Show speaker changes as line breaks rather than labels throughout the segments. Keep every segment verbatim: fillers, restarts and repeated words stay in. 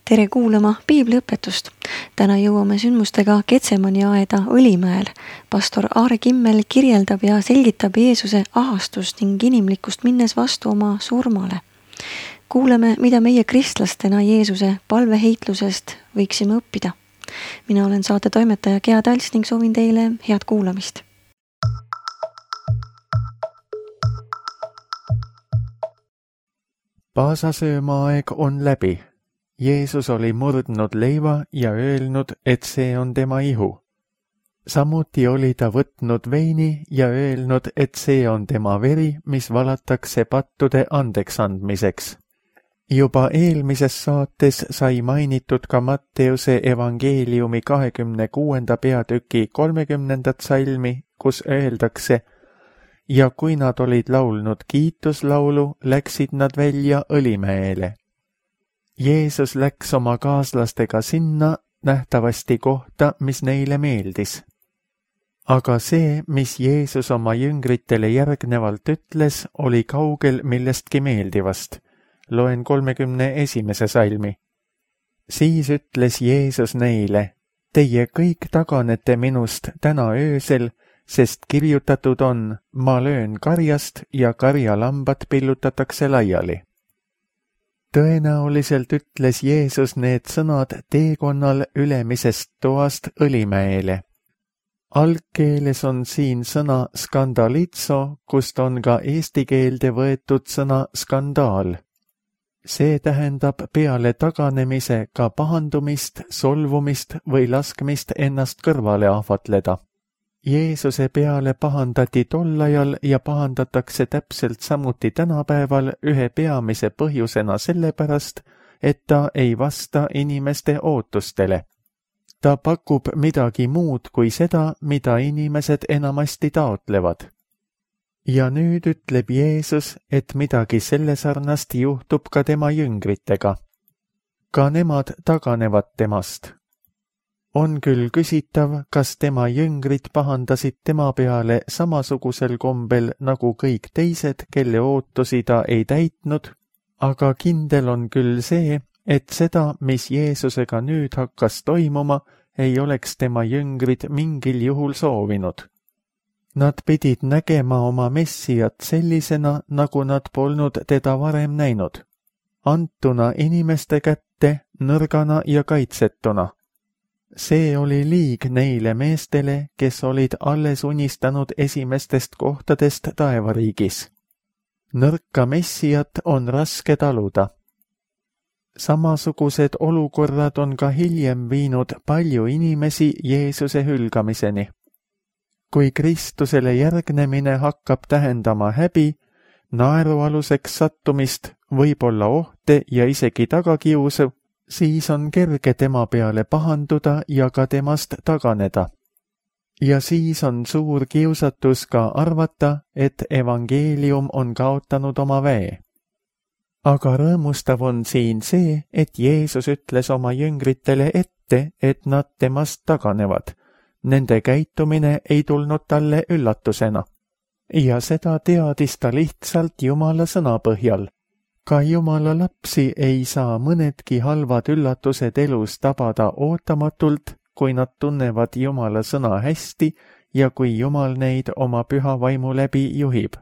Tere kuulama piibliõpetust. Täna jõuame sündmustega Getsemani aeda Õlimäel. Pastor Aare Kimmel kirjeldab ja selgitab Jeesuse ahastust ning inimlikkust minnes vastu oma surmale. Kuuleme, mida meie kristlastena Jeesuse palveheitlusest võiksime õppida. Mina olen saate toimetaja Gea Tals ning soovin teile head kuulamist.
Paasasöömaaeg on läbi. Jeesus oli murdnud leiva ja öelnud, et see on tema ihu. Samuti oli ta võtnud veini ja öelnud, et see on tema veri, mis valatakse pattude andeks andmiseks. Juba eelmises saates sai mainitud ka Matteuse evangeeliumi kahekümne kuuenda peatüki kolmekümnendat salmi, kus öeldakse: ja kui nad olid laulnud kiituslaulu, läksid nad välja Õlimäele. Jeesus läks oma kaaslastega sinna nähtavasti kohta, mis neile meeldis. Aga see, mis Jeesus oma jüngritele järgnevalt ütles, oli kaugel millestki meeldivast. Loen kolmekümne esimese salmi. Siis ütles Jeesus neile: teie kõik taganete minust täna öösel, sest kirjutatud on: ma löön karjast ja karjalambad pillutatakse laiali. Tõenäoliselt ütles Jeesus need sõnad teekonnal ülemisest toast Õlimäele. Algkeeles on siin sõna skandalitso, kust on ka eesti keelde võetud sõna skandaal. See tähendab peale taganemise ka pahandumist, solvumist või laskmist ennast kõrvale ahvatleda. Jeesuse peale pahandati tol ajal ja pahandatakse täpselt samuti tänapäeval ühe peamise põhjusena sellepärast, et ta ei vasta inimeste ootustele. Ta pakub midagi muud kui seda, mida inimesed enamasti taotlevad. Ja nüüd ütleb Jeesus, et midagi selle sarnast juhtub ka tema jüngritega. Ka nemad taganevad temast. On küll küsitav, kas tema jüngrid pahandasid tema peale samasugusel kombel nagu kõik teised, kelle ootusi ta ei täitnud, aga kindel on küll see, et seda, mis Jeesusega nüüd hakkas toimuma, ei oleks tema jüngrid mingil juhul soovinud. Nad pidid nägema oma messijat sellisena, nagu nad polnud teda varem näinud. Antuna inimeste kätte, nõrgana ja kaitsetuna. See oli liig neile meestele, kes olid alles unistanud esimestest kohtadest taevariigis. Nõrka messijat on raske taluda. Samasugused olukorrad on ka hiljem viinud palju inimesi Jeesuse hülgamiseni. Kui Kristusele järgnemine hakkab tähendama häbi, naerualuseks sattumist, võib-olla ohte ja isegi tagakiusu, siis on kerge tema peale pahanduda ja ka temast taganeda. Ja siis on suur kiusatus ka arvata, et evangeelium on kaotanud oma väe. Aga rõõmustav on siin see, et Jeesus ütles oma jüngritele ette, et nad temast taganevad. Nende käitumine ei tulnud talle üllatusena. Ja seda teadis ta lihtsalt Jumala sõna põhjal. Ka Jumala lapsi ei saa mõnedki halvad üllatused elus tabada ootamatult, kui nad tunnevad Jumala sõna hästi ja kui Jumal neid oma püha vaimu läbi juhib.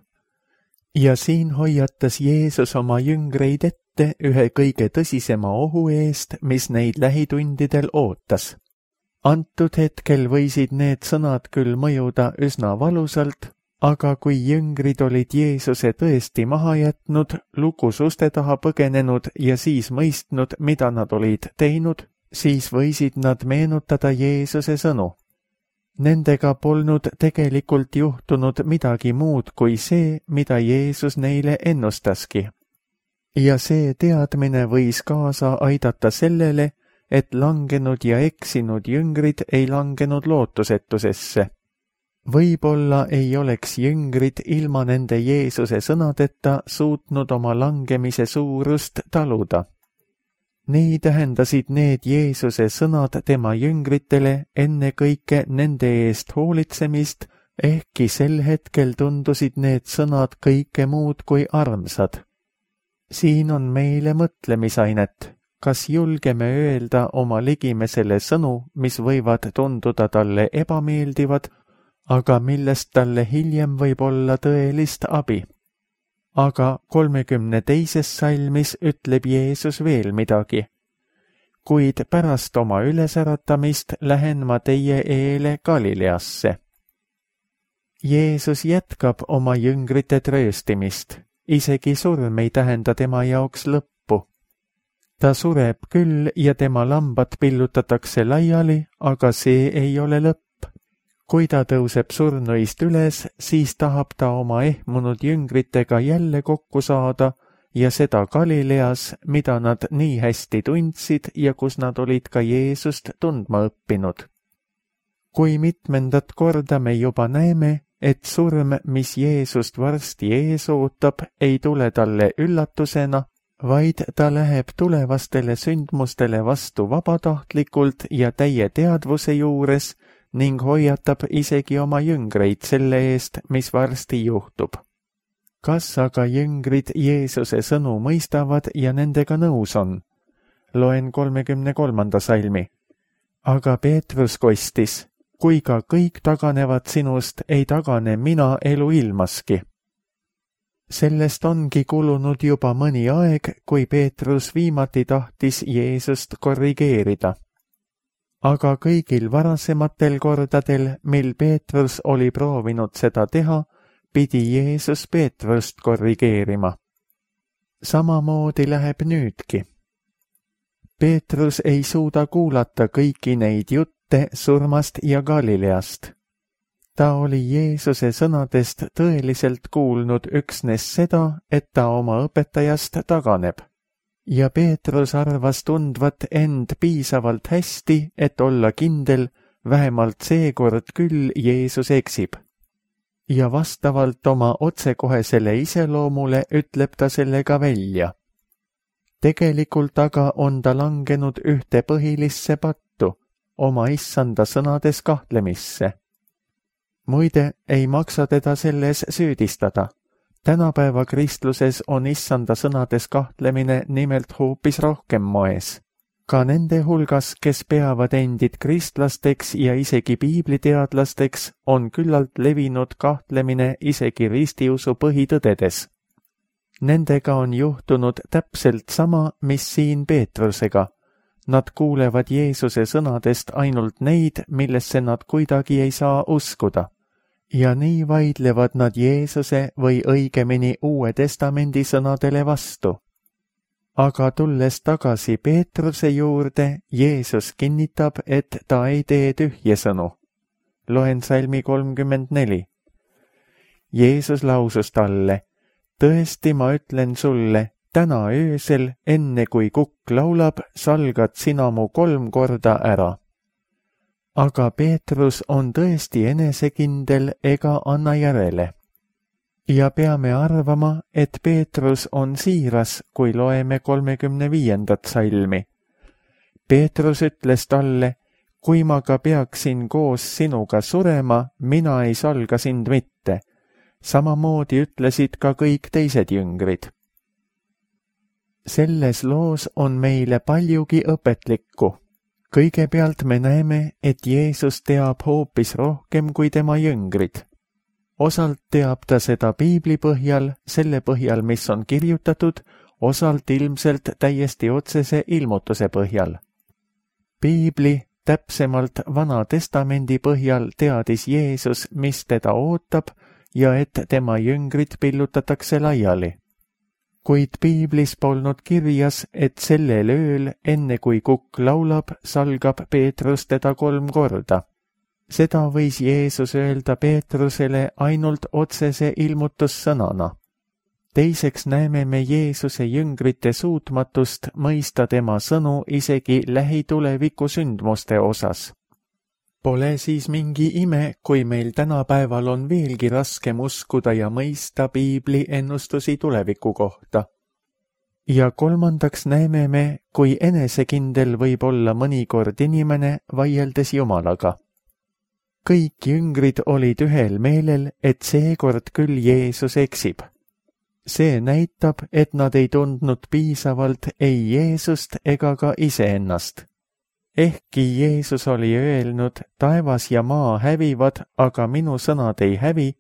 Ja siin hoiatas Jeesus oma jüngreid ette ühe kõige tõsisema ohu eest, mis neid lähitundidel ootas. Antud hetkel võisid need sõnad küll mõjuda üsna valusalt, aga kui jüngrid olid Jeesuse tõesti maha jätnud, lukus uste taha põgenenud ja siis mõistnud, mida nad olid teinud, siis võisid nad meenutada Jeesuse sõnu. Nendega polnud tegelikult juhtunud midagi muud kui see, mida Jeesus neile ennustaski. Ja see teadmine võis kaasa aidata sellele, et langenud ja eksinud jüngrid ei langenud lootusetusesse. Võib-olla ei oleks jüngrid ilma nende Jeesuse sõnadeta suutnud oma langemise suurust taluda. Nii tähendasid need Jeesuse sõnad tema jüngritele ennekõike nende eest hoolitsemist, ehkki sel hetkel tundusid need sõnad kõike muud kui armsad. Siin on meile mõtlemisainet. kas julgeme öelda oma ligimesele sõnu, mis võivad tunduda talle ebameeldivad, aga millest talle hiljem võib olla tõelist abi. Aga kolmekümne teises salmis ütleb Jeesus veel midagi. Kuid pärast oma ülesäratamist lähen ma teie eele Galileasse. Jeesus jätkab oma jüngrite trööstimist, isegi surm ei tähenda tema jaoks lõppu. Ta sureb küll ja tema lambad pillutatakse laiali, aga see ei ole lõpp. Kui ta tõuseb surnuist üles, siis tahab ta oma ehmunud jüngritega jälle kokku saada ja seda Galileas, mida nad nii hästi tundsid ja kus nad olid ka Jeesust tundma õppinud. Kui mitmendat korda me juba näeme, et surm, mis Jeesust varsti ees ootab, ei tule talle üllatusena, vaid ta läheb tulevastele sündmustele vastu vabatahtlikult ja täie teadvuse juures ning hoiatab isegi oma jüngreid selle eest, mis varsti juhtub. Kas aga jüngrid Jeesuse sõnu mõistavad ja nendega nõus on? Loen kolmekümne kolmanda salmi. Aga Peetrus kostis, kui ka kõik taganevad sinust, ei tagane mina elu ilmaski. Sellest ongi kulunud juba mõni aeg, kui Peetrus viimati tahtis Jeesust korrigeerida. Aga kõigil varasematel kordadel, mil Peetrus oli proovinud seda teha, pidi Jeesus Peetrust korrigeerima. Samamoodi läheb nüüdki. Peetrus ei suuda kuulata kõiki neid jutte surmast ja Galileast. Ta oli Jeesuse sõnadest tõeliselt kuulnud üksnes seda, et ta oma õpetajast taganeb. Ja Peetrus arvas tundvat end piisavalt hästi, et olla kindel, vähemalt seekord küll Jeesus eksib. Ja vastavalt oma otsekohesele iseloomule ütleb ta selle ka välja. Tegelikult aga on ta langenud ühte põhilisse pattu, oma issanda sõnades kahtlemisse. Muide, ei maksa teda selles süüdistada. Tänapäeva kristluses on issanda sõnades kahtlemine nimelt hoopis rohkem moes. Ka nende hulgas, kes peavad endid kristlasteks ja isegi piibliteadlasteks, on küllalt levinud kahtlemine isegi ristiusu põhitõdedes. Nendega on juhtunud täpselt sama, mis siin Peetrusega. Nad kuulevad Jeesuse sõnadest ainult neid, millesse nad kuidagi ei saa uskuda. Ja nii vaidlevad nad Jeesuse või õigemini Uue Testamendi sõnadele vastu. Aga tulles tagasi Peetruse juurde, Jeesus kinnitab, et ta ei tee tühje sõnu. Loen salmi kolmkümmend neli. Jeesus lausus talle, tõesti ma ütlen sulle, täna öösel, enne kui kukk laulab, salgad sina mu kolm korda ära. Aga Peetrus on tõesti enesekindel ega anna järele. Ja peame arvama, et Peetrus on siiras, kui loeme kolmekümne viiendat salmi. Peetrus ütles talle, kui ma ka peaksin koos sinuga surema, mina ei salga sind mitte. Samamoodi ütlesid ka kõik teised jüngrid. Selles loos on meile paljugi õpetlikku. Kõigepealt me näeme, et Jeesus teab hoopis rohkem kui tema jüngrid. Osalt teab ta seda piibli põhjal, selle põhjal, mis on kirjutatud, osalt ilmselt täiesti otsese ilmutuse põhjal. Piibli, täpsemalt Vana Testamendi põhjal teadis Jeesus, mis teda ootab ja et tema jüngrid pillutatakse laiali. Kuid piiblis polnud kirjas, et sellel ööl, enne kui kukk laulab, salgab Peetrus teda kolm korda. Seda võis Jeesus öelda Peetrusele ainult otsese ilmutussõnana. Teiseks näeme me Jeesuse jüngrite suutmatust mõista tema sõnu isegi lähituleviku sündmuste osas. Pole siis mingi ime, kui meil tänapäeval on veelgi raskem uskuda ja mõista piibli ennustusi tuleviku kohta. Ja kolmandaks näeme me, kui enesekindel võib olla mõnikord inimene vaieldes Jumalaga. Kõik jüngrid olid ühel meelel, et seekord küll Jeesus eksib. See näitab, et nad ei tundnud piisavalt ei Jeesust ega ka iseennast. Ehkki Jeesus oli öelnud, taevas ja maa hävivad, aga minu sõnad ei hävi,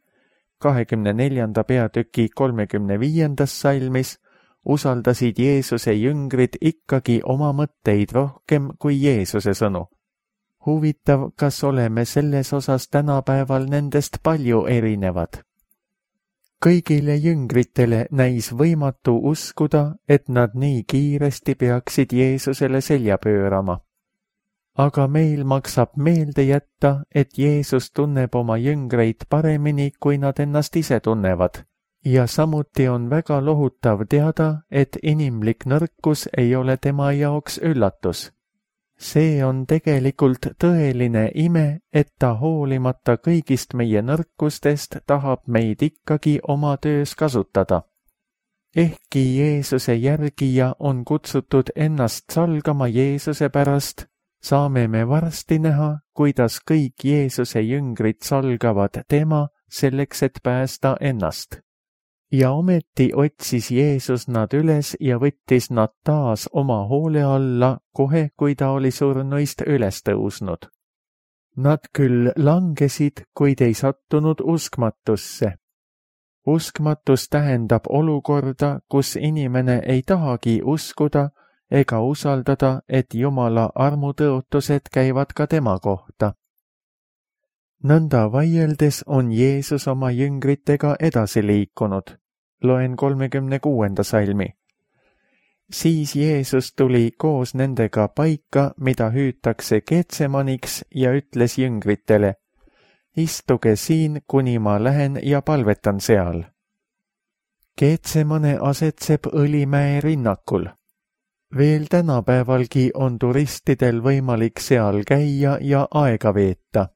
kahekümne neljanda peatüki kolmekümne viiendas salmis, usaldasid Jeesuse jüngrid ikkagi oma mõtteid rohkem kui Jeesuse sõnu. Huvitav, kas oleme selles osas tänapäeval nendest palju erinevad. Kõigile jüngritele näis võimatu uskuda, et nad nii kiiresti peaksid Jeesusele selja pöörama. Aga meil maksab meelde jätta, et Jeesus tunneb oma jüngreid paremini, kui nad ennast ise tunnevad. Ja samuti on väga lohutav teada, et inimlik nõrkus ei ole tema jaoks üllatus. See on tegelikult tõeline ime, et ta hoolimata kõigist meie nõrkustest tahab meid ikkagi oma töös kasutada. Ehkki Jeesuse järgija on kutsutud ennast salgama Jeesuse pärast, saame me varsti näha, kuidas kõik Jeesuse jüngrid salgavad tema selleks, et päästa ennast. Ja ometi otsis Jeesus nad üles ja võttis nad taas oma hoole alla kohe, kui ta oli surnuist üles tõusnud. Nad küll langesid, kuid ei sattunud uskmatusse. Uskmatus tähendab olukorda, kus inimene ei tahagi uskuda ega usaldada, et Jumala armutõotused käivad ka tema kohta. Nõnda vaieldes on Jeesus oma jüngritega edasi liikunud. Loen kolmekümne kuuenda salmi. Siis Jeesus tuli koos nendega paika, mida hüütakse Getsemaniks, ja ütles jüngritele, istuge siin, kuni ma lähen ja palvetan seal. Getsemane asetseb Õlimäe rinnakul. Veel tänapäevalgi on turistidel võimalik seal käia ja aega veeta.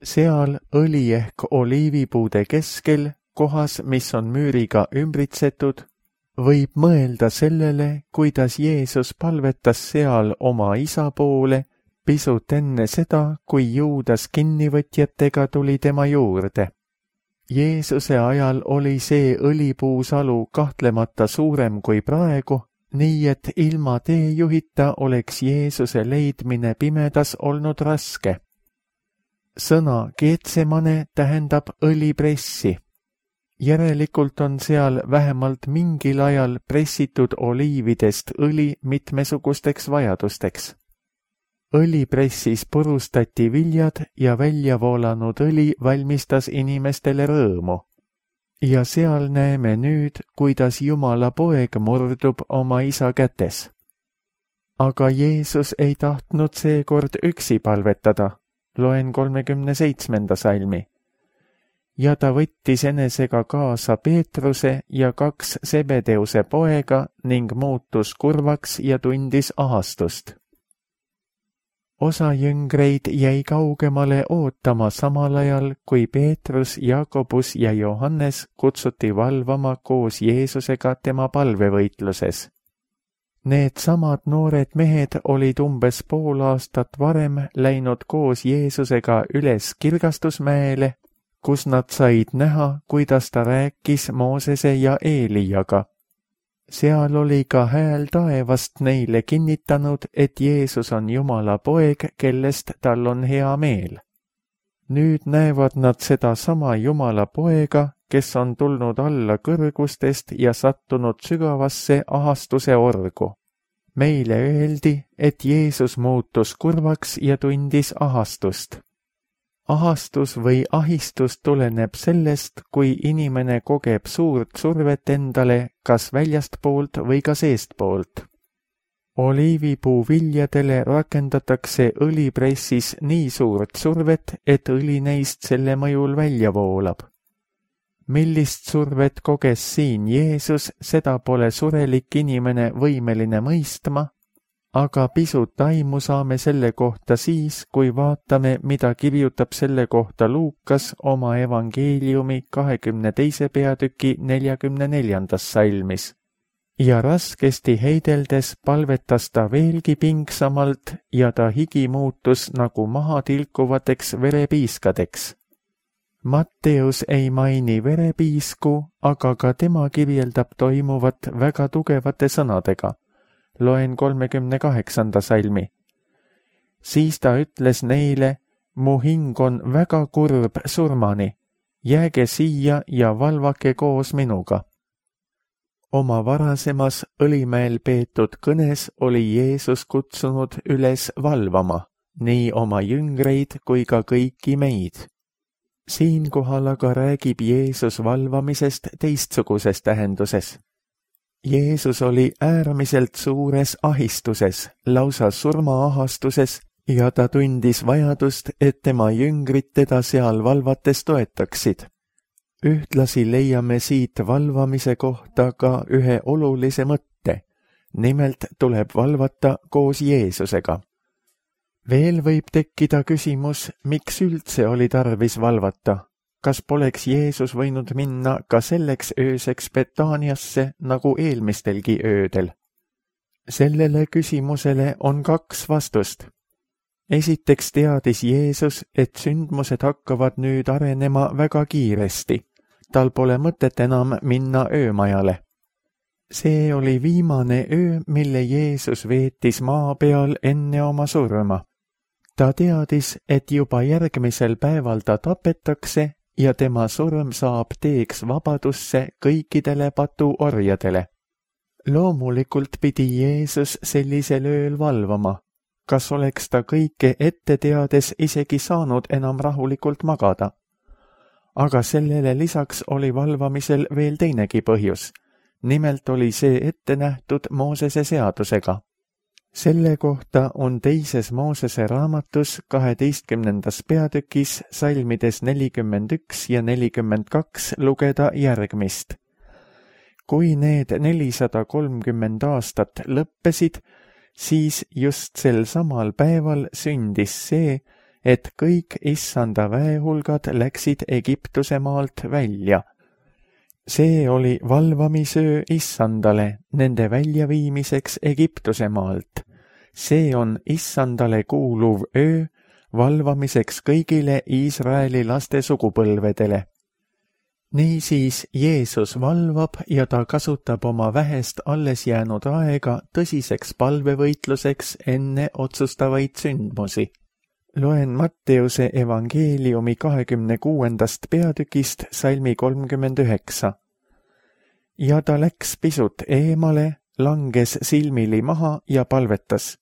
Seal õli ehk oliivipuude keskel, kohas, mis on müüriga ümbritsetud, võib mõelda sellele, kuidas Jeesus palvetas seal oma isa poole pisut enne seda, kui Juudas kinnivõtjatega tuli tema juurde. Jeesuse ajal oli see õlipuusalu kahtlemata suurem kui praegu, nii et ilma teejuhita oleks Jeesuse leidmine pimedas olnud raske. Sõna Getsemane tähendab õlipressi. Järelikult on seal vähemalt mingil ajal pressitud oliividest õli mitmesugusteks vajadusteks. Õlipressis purustati viljad ja välja voolanud õli valmistas inimestele rõõmu. Ja seal näeme nüüd, kuidas Jumala poeg murdub oma isa kätes. Aga Jeesus ei tahtnud seekord üksi palvetada. Loen kolmekümne seitsmenda salmi. Ja ta võttis enesega kaasa Peetruse ja kaks Sebedeuse poega ning muutus kurvaks ja tundis ahastust. Osa jüngreid jäi kaugemale ootama samal ajal, kui Peetrus, Jakobus ja Johannes kutsuti valvama koos Jeesusega tema palvevõitluses. Need samad noored mehed olid umbes pool aastat varem läinud koos Jeesusega üles Kirgastusmäele, kus nad said näha, kuidas ta rääkis Moosese ja Eelijaga. Seal oli ka hääl taevast neile kinnitanud, et Jeesus on Jumala poeg, kellest tal on hea meel. Nüüd näevad nad seda sama Jumala poega, kes on tulnud alla kõrgustest ja sattunud sügavasse ahastuse orgu. Meile öeldi, et Jeesus muutus kurvaks ja tundis ahastust. Ahastus või ahistus tuleneb sellest, kui inimene kogeb suurt survet endale kas väljastpoolt või ka seestpoolt. Oliivipuu viljadele rakendatakse õlipressis nii suurt survet, et õli neist selle mõjul välja voolab. Millist survet koges siin Jeesus, seda pole surelik inimene võimeline mõistma, aga pisut aimu saame selle kohta siis, kui vaatame, mida kirjutab selle kohta Luukas oma evangeeliumi kahekümne teise peatüki neljakümne neljandas salmis. Ja raskesti heideldes palvetas ta veelgi pingsamalt ja ta higi muutus nagu maha tilkuvateks verepiiskadeks. Matteus ei maini verepiisku, aga ka tema kirjeldab toimuvat väga tugevate sõnadega. Loen kolmekümne kaheksanda salmi. Siis ta ütles neile, mu hing on väga kurb surmani, jääge siia ja valvake koos minuga. Oma varasemas Õlimäel peetud kõnes oli Jeesus kutsunud üles valvama, nii oma jüngreid kui ka kõiki meid. Siinkohal aga räägib Jeesus valvamisest teistsuguses tähenduses. Jeesus oli äärmiselt suures ahistuses, lausa surmaahastuses, ja ta tundis vajadust, et tema jüngrid teda seal valvates toetaksid. Ühtlasi leiame siit valvamise kohta ka ühe olulise mõtte, nimelt tuleb valvata koos Jeesusega. Veel võib tekkida küsimus, miks üldse oli tarvis valvata. Kas poleks Jeesus võinud minna ka selleks ööseks Betaaniasse nagu eelmistelgi öödel? Sellele küsimusele on kaks vastust. Esiteks teadis Jeesus, et sündmused hakkavad nüüd arenema väga kiiresti. Tal pole mõtet enam minna öömajale. See oli viimane öö, mille Jeesus veetis maa peal enne oma surma. Ta teadis, et juba järgmisel päeval ta tapetakse ja tema surm saab teeks vabadusse kõikidele patuorjadele. Loomulikult pidi Jeesus sellisel ööl valvama. Kas oleks ta kõike ette teades isegi saanud enam rahulikult magada? Aga sellele lisaks oli valvamisel veel teinegi põhjus. Nimelt oli see ette nähtud Moosese seadusega. Selle kohta on teises Moosese raamatus kaheteistkümnendas peatükis salmides nelikümmend üks ja nelikümmend kaks lugeda järgmist. Kui need nelisada kolmkümmend aastat lõppesid, siis just sel samal päeval sündis see, et kõik issanda väehulgad läksid Egiptuse maalt välja. See oli valvamisöö issandale nende väljaviimiseks Egiptuse maalt. See on issandale kuuluv öö valvamiseks kõigile Iisraeli laste sugupõlvedele. Niisiis Jeesus valvab ja ta kasutab oma vähest alles jäänud aega tõsiseks palvevõitluseks enne otsustavaid sündmusi. Loen Matteuse evangeeliumi kahekümne kuuendast peatükist salmi kolmkümmend üheksa. Ja ta läks pisut eemale, langes silmili maha ja palvetas.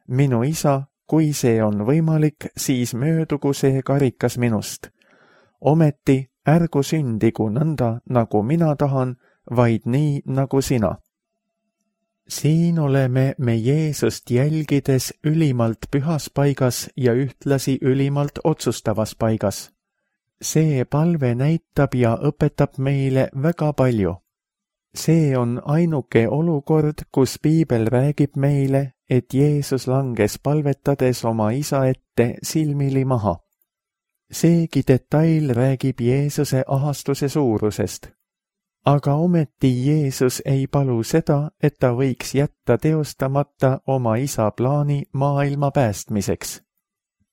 Minu isa, kui see on võimalik, siis möödugu see karikas minust. Ometi ärgu sündigu nõnda, nagu mina tahan, vaid nii, nagu sina. Siin oleme me Jeesust jälgides ülimalt pühas paigas ja ühtlasi ülimalt otsustavas paigas. See palve näitab ja õpetab meile väga palju. See on ainuke olukord, kus Piibel räägib meile, et Jeesus langes palvetades oma isa ette silmili maha. Seegi detail räägib Jeesuse ahastuse suurusest. Aga ometi Jeesus ei palu seda, et ta võiks jätta teostamata oma isa plaani maailma päästmiseks.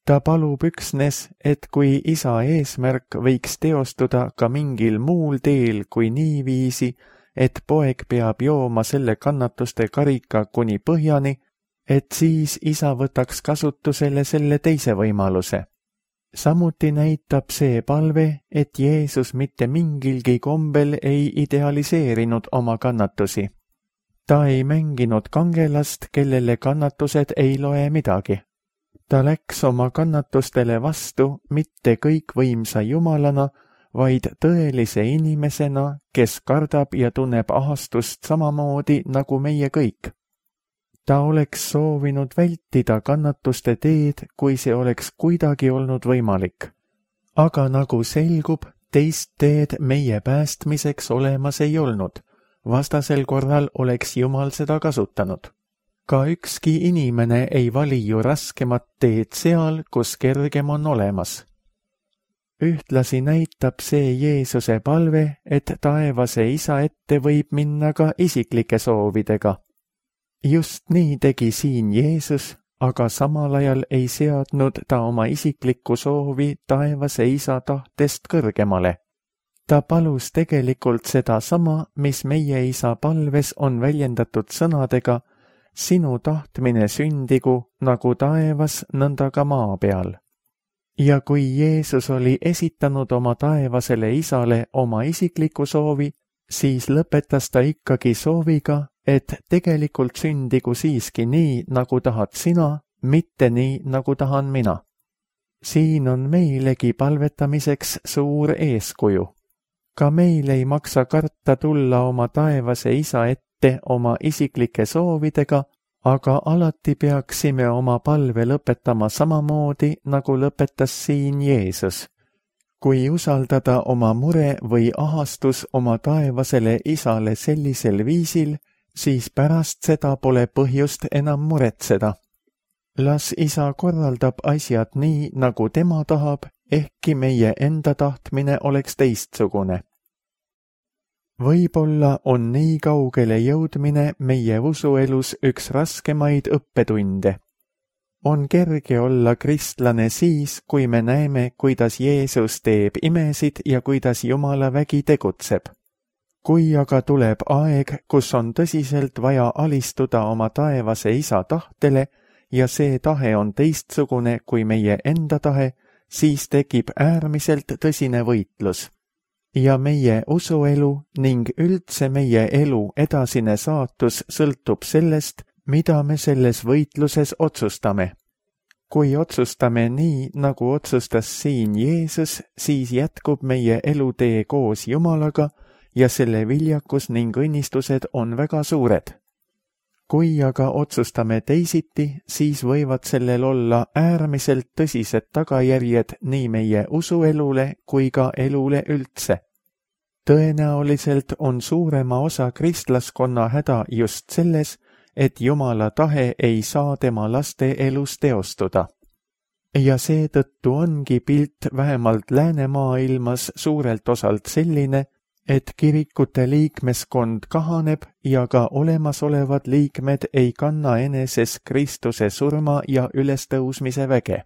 Ta palub üksnes, et kui isa eesmärk võiks teostuda ka mingil muul teel kui niiviisi, et poeg peab jooma selle kannatuste karika kuni põhjani, et siis isa võtaks kasutusele selle teise võimaluse. Samuti näitab see palve, et Jeesus mitte mingilgi kombel ei idealiseerinud oma kannatusi. Ta ei mänginud kangelast, kellele kannatused ei loe midagi. Ta läks oma kannatustele vastu mitte kõikvõimsa Jumalana, vaid tõelise inimesena, kes kardab ja tunneb ahastust samamoodi nagu meie kõik. Ta oleks soovinud vältida kannatuste teed, kui see oleks kuidagi olnud võimalik. Aga nagu selgub, teist teed meie päästmiseks olemas ei olnud. Vastasel korral oleks Jumal seda kasutanud. Ka ükski inimene ei vali ju raskemat teed seal, kus kergem on olemas. Ühtlasi näitab see Jeesuse palve, et taevase isa ette võib minna ka isiklike soovidega. Just nii tegi siin Jeesus, aga samal ajal ei seadnud ta oma isiklikku soovi taevase isa tahtest kõrgemale. Ta palus tegelikult seda sama, mis meie isa palves on väljendatud sõnadega: sinu tahtmine sündigu nagu taevas, nõnda ka maa peal. Ja kui Jeesus oli esitanud oma taevasele isale oma isikliku soovi, siis lõpetas ta ikkagi sooviga, et tegelikult sündigu siiski nii, nagu tahad sina, mitte nii, nagu tahan mina. Siin on meilegi palvetamiseks suur eeskuju. Ka meil ei maksa karta tulla oma taevase isa ette oma isiklike soovidega, aga alati peaksime oma palve lõpetama samamoodi, nagu lõpetas siin Jeesus. Kui usaldada oma mure või ahastus oma taevasele isale sellisel viisil, siis pärast seda pole põhjust enam muretseda. Las isa korraldab asjad nii, nagu tema tahab, ehkki meie enda tahtmine oleks teistsugune. Võib-olla on nii kaugele jõudmine meie usuelus üks raskemaid õppetunde. On kerge olla kristlane siis, kui me näeme, kuidas Jeesus teeb imesid ja kuidas Jumala vägi tegutseb. Kui aga tuleb aeg, kus on tõsiselt vaja alistuda oma taevase isa tahtele ja see tahe on teistsugune kui meie enda tahe, siis tekib äärmiselt tõsine võitlus. Ja meie usuelu ning üldse meie elu edasine saatus sõltub sellest, mida me selles võitluses otsustame. Kui otsustame nii, nagu otsustas siin Jeesus, siis jätkub meie elutee koos Jumalaga ja selle viljakus ning õnnistused on väga suured. Kui aga otsustame teisiti, siis võivad sellel olla äärmiselt tõsised tagajärjed nii meie usuelule kui ka elule üldse. Tõenäoliselt on suurema osa kristlaskonna häda just selles, et Jumala tahe ei saa tema laste elus teostuda. Ja seetõttu ongi pilt vähemalt läänemaailmas suurelt osalt selline, et kirikute liikmeskond kahaneb ja ka olemasolevad liikmed ei kanna eneses Kristuse surma ja ülestõusmise väge.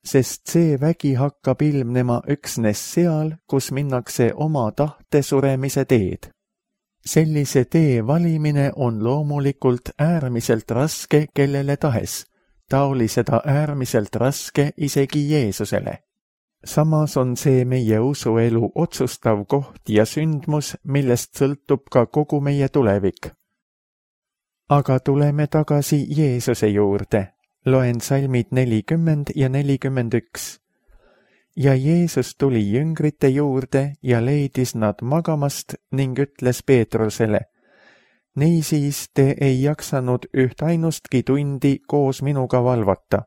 Sest see vägi hakkab ilmnema üksnes seal, kus minnakse oma tahte suremise teed. Sellise tee valimine on loomulikult äärmiselt raske kellele tahes. Ta oli seda äärmiselt raske isegi Jeesusele. Samas on see meie usuelu otsustav koht ja sündmus, millest sõltub ka kogu meie tulevik. Aga tuleme tagasi Jeesuse juurde. Loen salmid nelikümmend ja nelikümmend üks. Ja Jeesus tuli jüngrite juurde ja leidis nad magamast ning ütles Peetrusele: niisiis te ei jaksanud üht ainustki tundi koos minuga valvata.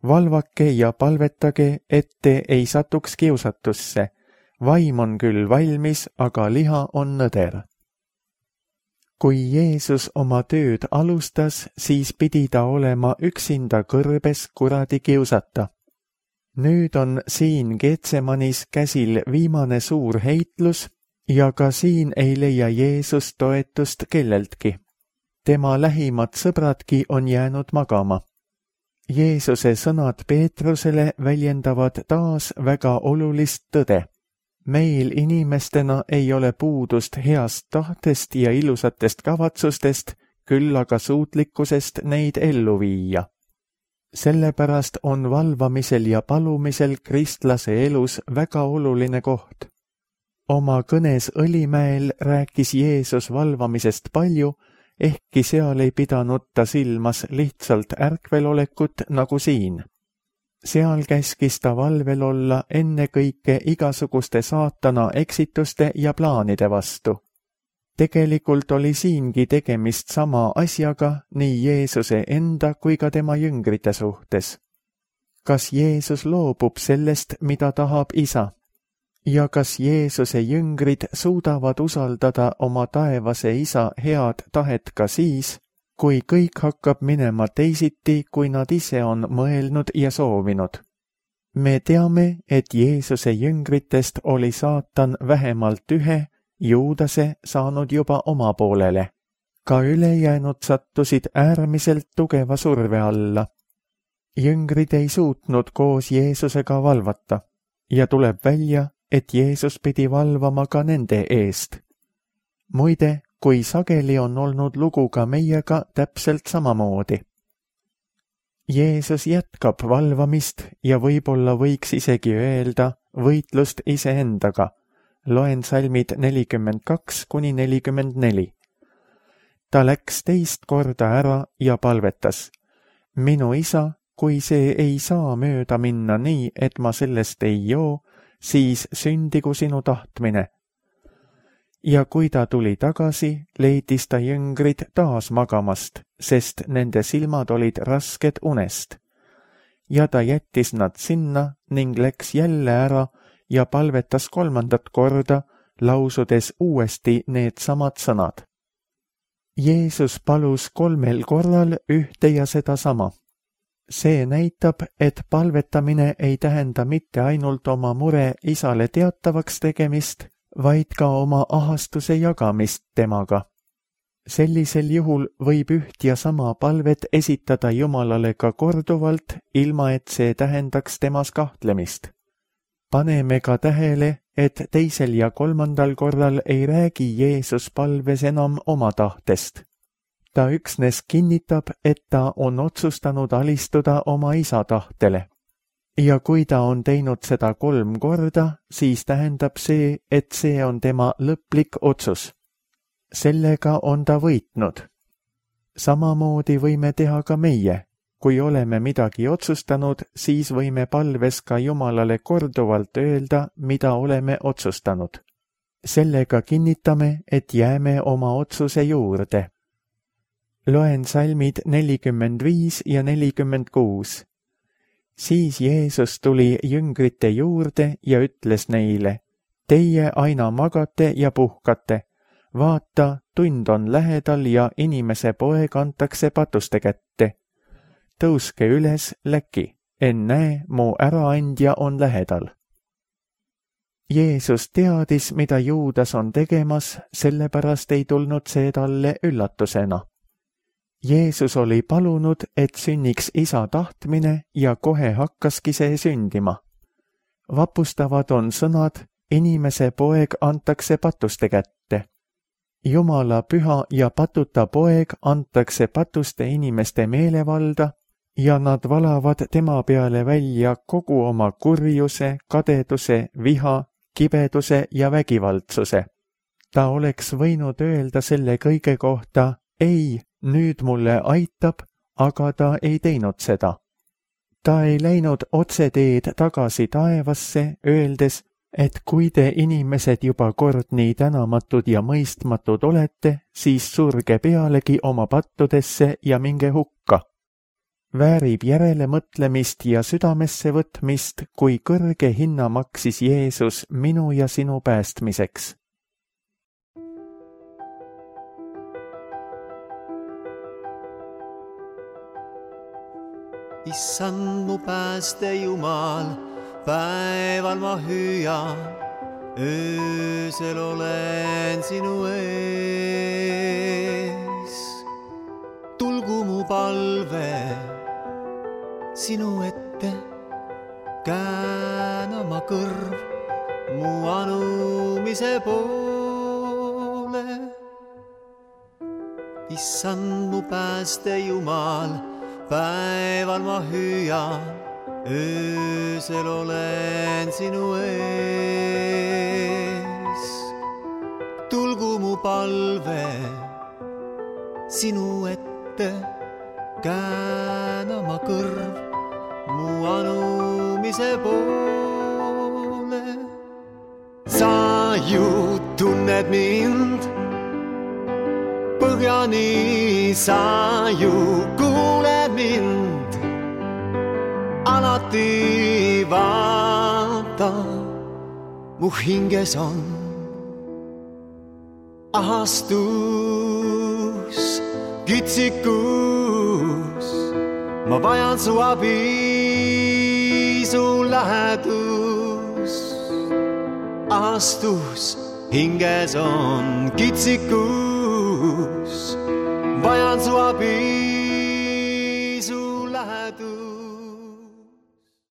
Valvake ja palvetage, et te ei satuks kiusatusse. Vaim on küll valmis, aga liha on nõder. Kui Jeesus oma tööd alustas, siis pidi ta olema üksinda kõrbes kuradi kiusata. Nüüd on siin Getsemanis käsil viimane suur heitlus ja ka siin ei leia Jeesus toetust kelleltki. Tema lähimad sõbradki on jäänud magama. Jeesuse sõnad Peetrusele väljendavad taas väga olulist tõde. Meil inimestena ei ole puudust heast tahtest ja ilusatest kavatsustest, küll aga suutlikkusest neid ellu viia. Sellepärast on valvamisel ja palumisel kristlase elus väga oluline koht. Oma kõnes Õlimäel rääkis Jeesus valvamisest palju, ehkki seal ei pidanud ta silmas lihtsalt ärkvelolekut nagu siin. Seal käskis ta valvel olla ennekõike igasuguste saatana eksituste ja plaanide vastu. Tegelikult oli siingi tegemist sama asjaga nii Jeesuse enda kui ka tema jüngrite suhtes. Kas Jeesus loobub sellest, mida tahab isa? Ja kas Jeesuse jüngrid suudavad usaldada oma taevase isa head tahet ka siis, kui kõik hakkab minema teisiti, kui nad ise on mõelnud ja soovinud? Me teame, et Jeesuse jüngritest oli saatan vähemalt ühe, Juudase, saanud juba oma poolele. Ka ülejäänud sattusid äärmiselt tugeva surve alla. Jüngrid ei suutnud koos Jeesusega valvata ja tuleb välja, et Jeesus pidi valvama ka nende eest. Muide, kui sageli on olnud lugu ka meiega täpselt samamoodi. Jeesus jätkab valvamist ja võib-olla võiks isegi öelda võitlust iseendaga. Loen salmid nelikümmend kaks kuni nelikümmend neli. Ta läks teist korda ära ja palvetas. Minu isa, kui see ei saa mööda minna nii, et ma sellest ei joo, siis sündigu sinu tahtmine. Ja kui ta tuli tagasi, leidis ta jüngrid taas magamast, sest nende silmad olid rasked unest. Ja ta jättis nad sinna ning läks jälle ära ja palvetas kolmandat korda, lausudes uuesti need samad sõnad. Jeesus palus kolmel korral ühte ja seda sama. See näitab, et palvetamine ei tähenda mitte ainult oma mure isale teatavaks tegemist, vaid ka oma ahastuse jagamist temaga. Sellisel juhul võib üht ja sama palvet esitada Jumalale ka korduvalt, ilma et see tähendaks temas kahtlemist. Paneme ka tähele, et teisel ja kolmandal korral ei räägi Jeesus palves enam oma tahtest. Ta üksnes kinnitab, et ta on otsustanud alistuda oma isa tahtele. Ja kui ta on teinud seda kolm korda, siis tähendab see, et see on tema lõplik otsus. Sellega on ta võitnud. Samamoodi võime teha ka meie. Kui oleme midagi otsustanud, siis võime palves ka Jumalale korduvalt öelda, mida oleme otsustanud. Sellega kinnitame, et jääme oma otsuse juurde. Loen salmid nelikümmend viis ja nelikümmend kuus. Siis Jeesus tuli jüngrite juurde ja ütles neile, teie aina magate ja puhkate. Vaata, tund on lähedal ja inimese poeg antakse patuste kätte. Tõuske üles, läki, ennäe, mu äraandja on lähedal. Jeesus teadis, mida Juudas on tegemas, sellepärast ei tulnud see talle üllatusena. Jeesus oli palunud, et sünniks isa tahtmine ja kohe hakkaski see sündima. Vapustavad on sõnad, inimese poeg antakse patuste kätte. Jumala püha ja patuta poeg antakse patuste inimeste meelevalda ja nad valavad tema peale välja kogu oma kurjuse, kadeduse, viha, kibeduse ja vägivaldsuse. Ta oleks võinud öelda selle kõige kohta, ei, nüüd mulle aitab, aga ta ei teinud seda. Ta ei läinud otseteed tagasi taevasse, öeldes, et kui te inimesed juba kord nii tänamatud ja mõistmatud olete, siis surge pealegi oma pattudesse ja minge hukka. Väärib järele mõtlemist ja südamesse võtmist, kui kõrge hinna maksis Jeesus minu ja sinu päästmiseks.
Issand mu pääste Jumal, päeval ma hüüan, öösel olen sinu ees. Tulgu mu palve sinu ette, käänama kõrv mu anumise poole. Issand mu pääste Jumal, päeval ma hüüan, öösel olen sinu ees. Tulgu mu palve sinu ette, käänama kõrv mu anumise poole. Sa ju tunned mind põhjani, sa ju kuuled mind. Alati vaata, mu hinges on ahastus, kitsikus. Ma vajan su abi, su lähedus. Ahastus, hinges on kitsikus. Vajan su abi, su lähedus.